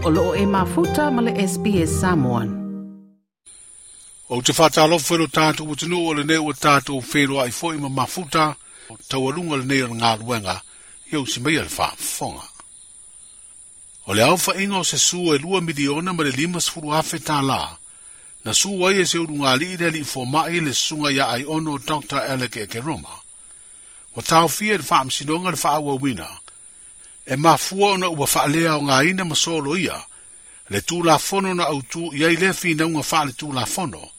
O loo e mafuta ma le SBS Samoan. Ou te faatalofa i lo tatou atunuu o lenei ua tatou feiloai foi ma mafuta taualuga lenei o le galuega ia usi maia le faafofoga. O le aofaiga o se su e $2,050,000 tālā, na su ai e se ulugalii le alii fomai le susuga ia Aiono Dr. Alec Ekeroma. Ua taofia i le faamasinoga le faaauauina, e mafua ona ua faaleaogaina ma soloia le Tulafono na autū i ai lea finauga faale-Tulafono.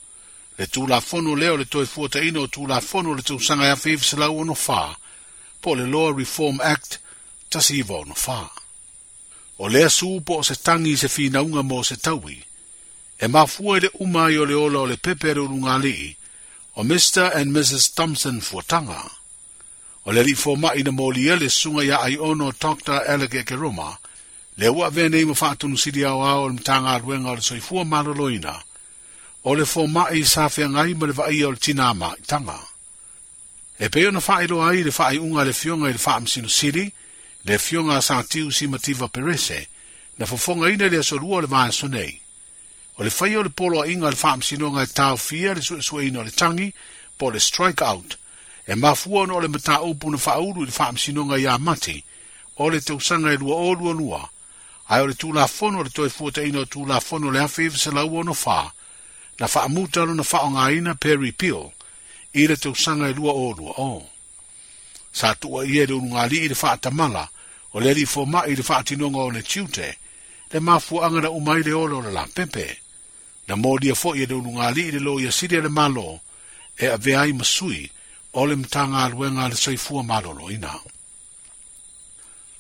Le Tulafono lea o le toe fuataina o Tulafono o le tausaga 1964, po o le Law Reform Act 1964. O lea su po o se tagi i se finauga mo se taui, e mafua i le uma ai o le ola o le pepe a le ulugalii, o Mr. and Mrs. Thompson Fuataga. O le alii fomai na molia le susuga ia Aiono Dr. Alec Ekeroma, lea ua avea nei ma faatonusili aoao o le Matagaluega o le Soifua Maloloina, o le fomai sa feagai ma le vaaia o le tinā maitaga. E pei ona faailoa ai le faaiuga a le Afioga i le Faamasino Sili, le Afioga a Satiu Simativa Perese, na fofogaina i le aso lua o le vaiaso nei. O le faia o le poloaiga a le Faamasinoga e taofia le suesueina o le tagi, po o le strike out, e mafua ona o le mataupu na faaulu i le Faamasinoga ia Mati o le tausaga e 2022, ae o le Tulafono o le toe fuataina o Tulafono o le 1964 na faamuta lona faaaogaina pe repeal i le tausaga e 2020. Sa tuuaia e le ulugalii le faatamala o le alii fomai i le faatinoga o le tiute, le mafuaaga na uma ai le ola o le lapepe. Na molia foi e le ulugalii le loia sili a le Malo e avea ai ma sui o le Matagaluega a le Soifua Maloloina.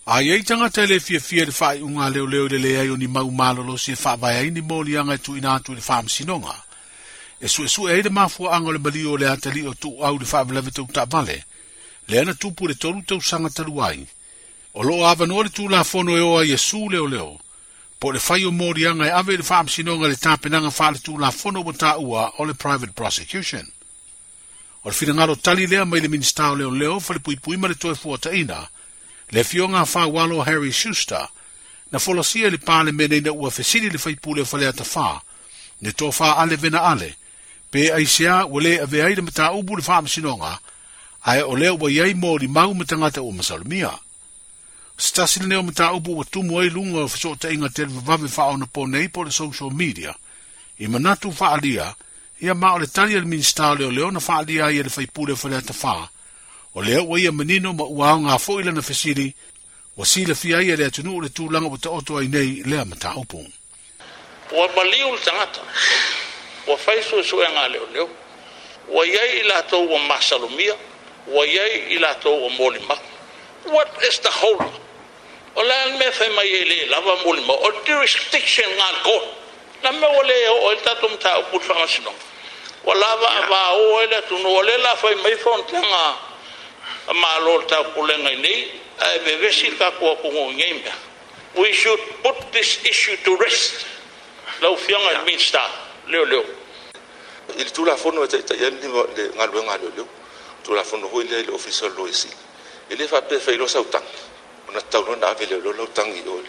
A i ai tagata e le fiafia i le faaiuga a leoleo i le leai o ni mau malolosi e faavae ai ni moliaga e tuuina atu i le faamasinoga, e suesue ai le mafuaaga o le maliu o le atalii o tuuau i le faalavelave tau taavale, lea na tupu i le 3 tausaga talu ai. O loo avanoa le Tulafono e o ai e su leoleo, po o le fai o moliaga e ave i le faamasinoga i le tapenaga faale-Tulafono ua taua o le private prosecution. O le finagalo tali lea mai le Minisita o Leoleo, Falepuipui ma le Toe Fuataina, le Afioga a Faualo Harry Schuster, na folasia i le Palemene ina ua fesili le faipule o Faleata 4, le tofa Ale Vena Ale, pe aisea ua le avea ai le mataupu i le faamasinoga, ae o lea ua i ai molimau ma tagata ua masalomia. O se tasi lenei o mataupu ua tumu ai luga o fesootaiga televavave faaonapo nei po o le social media, i manatu faaalia, ia ma o le tali a le Minisita o Leoleo na faaalia ai e le faipule o Faleata 4, o lea ua ia manino ma ua aoga foi lana fesili, ua silafia ai e le atunuu le tulaga ua taoto ai nei lea mataupu. Ua maliu le tagata, ua fai suesuega a leoleo, ua i ai i latou ua masalomia, ua i ai i latou ua molimau. What is the hold up? O le a le mea e fai mai ai le lava molimau? O le jurisdiction nga le court. Na mea ua le oo ai le tatou mataupu i le faamasinoga. Ua lava avao ai le atunuu, o lea la fai mai fonotaga a Malo o le taupulega i nei, ae vevesi le tatou atunuu i nei mea. We should put this issue to rest. Lau Afioga i le Minisita, leoleo. I le Tulafono e taitai ai le galuega a leoleo, Tulafono foi lea i le Ofisa o le Loia Sili, e le faapea e fai loa sau tagi, ona tatau loa ona ave leoleo lau tagi i o i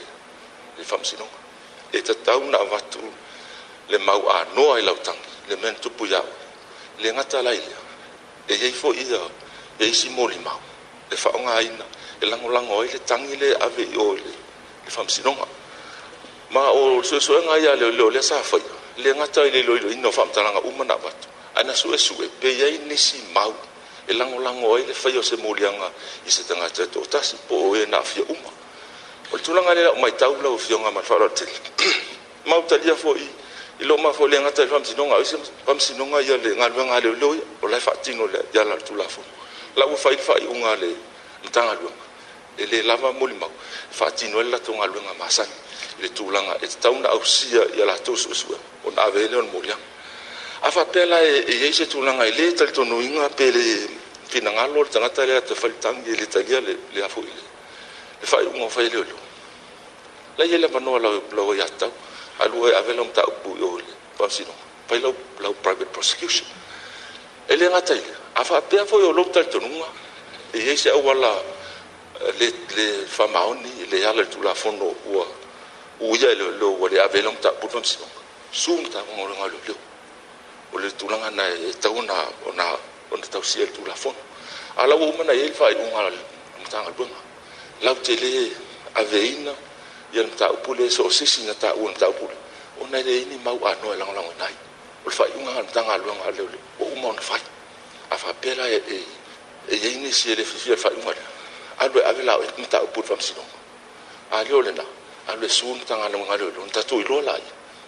le faamasinoga. E tatau ona avatu le mau anoa i lau tagi, le mea na tupu ia oe. Le gata la i lea, e i ai foi ia isi molimau e faaaogaina e lagolago ai le tagi lea e ave i o i le faamasinoga. Ma o le suesuega ia a leoleo lea sa faia, le gata i le iloiloina o faamatalaga uma na avatu, ae na suesue pe i ai nisi mau e lagolago ai le faia o se moliaga i se tagata e toatasi po o e na aafia uma. O le tulaga lea lau matau lau Afioga ma le faaaloalo tele, ma talia foi i loo mafua le gata i le faamasinoga, o isi faamasinoga ia le galuega a leoleo ia, o la e faatino i ala o le Tulafono. La ua fai le faaiuga a le Matagaluega, e le lava molimau e faatino ai le latou galuega masani i le tulaga e tatau ona ausia ia latou suesuega ona ave ai lea o le moliaga. A faapea la e i ai se tulaga e le talitonuina pe le finagalo le tagata lea te fai le tagi e le talia le a foi le faaiuga o fai e leoleo, la i ai le avanoa lau aiatatau, alu e ave lau mataupu i o i le faamasinoga, fai lau private prosecution. E le gata i lea, a faapea foi o lou talitonuga e i ai se auala le faamaoni, le ala i le Tulafono ua Uia e leoleo ua le ave ai lau mataupu i le faamasinoga, su le Matagaluega a Leoleo. O le tulaga lena e tatau ona ona tausia e le Tulafono. A o la ua uma ona i ai le faaiuga a le Matagaluega, latou te le aveina le mataupu lea i so o se isi na taua i le mataupu lea, ona e leai ni mau anoa e lagolagoina ai. O le faaiuga lena a le Matagaluega a Leoleo ua uma ona fai. A faapea la e i ai nisi e le fiafia i le faaiuga lea, alu e ave la oe mataupu i le faamasinoga. A le o lena, alu e sue le Matagaluega a Leoleo ona tatou iloa lea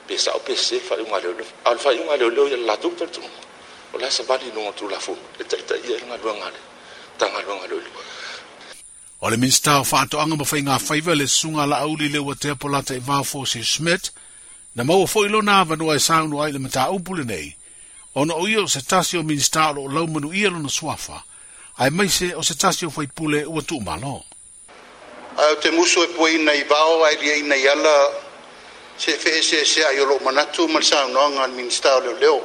pe sao pe sese le faaiuga a Leoleo. A o le faaiuga a Leoleo ia le latou talitonuga, o la e savali i luga o le Tulafono e taitaia ai le galuega a le Matagaluega a Leoleo. O le Minisita o Faatoaga ma Faigafaiva le Susuga Laauli Leuatea Polataivao Fosi Schmidt, na maua foi lona avanoa e saunoa ai i le mataupu lenei, ona o ia o se tasi o Minisita o lo o laumanuia lona suafa, aemaise o se tasi o faipule ua tuumalo. Ae ou te musu e puaina i vao ae liaina i ala se feeseeseai o lou manatu ma le saunoaga a le Minisita o Leoleo.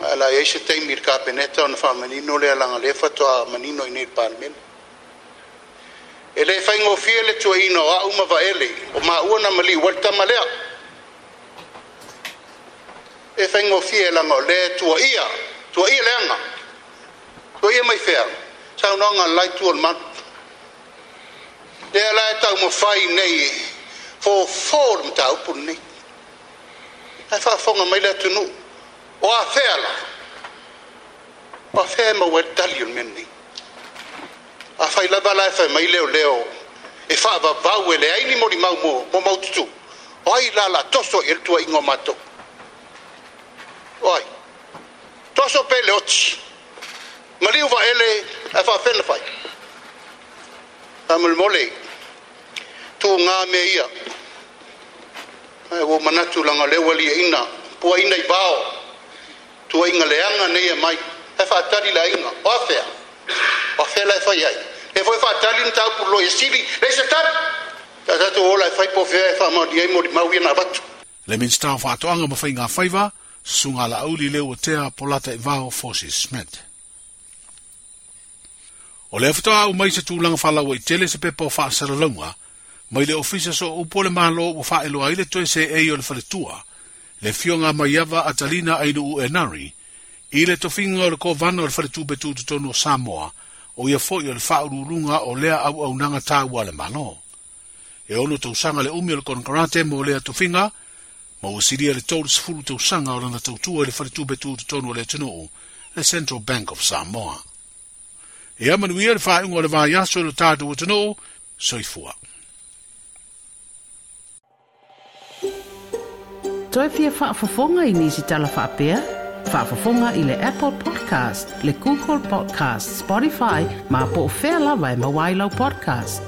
Ae o le a i ai se taimi i le Kapeneta ona faamanino lea leaga o lea faatoa manino i inei i le Palemene. E le faigofie le tuuaiina o au ma Vaele, o maua na maliu ai le tama lea. E faigofie leaga o lea e tuuaia, tuuaia leaga. Tuuaia mai fea? Saunoaga a le la itu o le malu. Lea la e taumafai nei e fofo le mataupu lenei. Ae faafofoga mai le atunuu, o afea la? O afea e maua ai le tali o le mea lenei? Afai lava la e fai mai leoleo e faavavau e leai ni molimau mo maututu, o ai la o le a toso i ai le tuuaiga o matou? O ai? Toso pea le oti, maliu Vaele ae faafefea ona fai? Faamolemole, tuga mea ia. Ae ua ou manatu leaga o lea ua liaina, puaina i vao, tuuaiga leaga nei e aumai, ae faatali le aiga. O afea? O afea la e fai ai? Lea foi e faatali le mataupu i le Loia Sili, leai se tali. Sa tatou ola e fai po o fea e faamaonia ai molimau ia na avatu. Le Minisita o Faatoaga ma Faigafaiva, Susuga Laauli Leuatea Polataivao Fosi Schmidt. O lea faatoa aumai se tulaga faalauaitele se pepa o faasalalauga mai le Ofisa Sooupu o le Malo ua faailoa ai le toe seei o le faletua, le Afioga a Maiava Atalina Ainuu Enari, i le tofiga o le Kovana o le Faletupe Tutotonu o Samoa, o ia foi o le faauluuluga o lea auaunaga taua a le Malo. E ono tausaga le umi o le konekarate mo lea tofiga, ma ua silia le 30 tausaga o lana tautua i le Faletupe Tutotonu o le atunuu, le Central Bank of Samoa. Ia manuia le faaiuga o le vaiaso i lo tatou atunuu, soifua. Toe fia faafofoga i nisi tala faapea? Faafofoga i le Apple Podcast, le Google Podcast, Spotify, ma po o fea lava e maua ai lau podcast.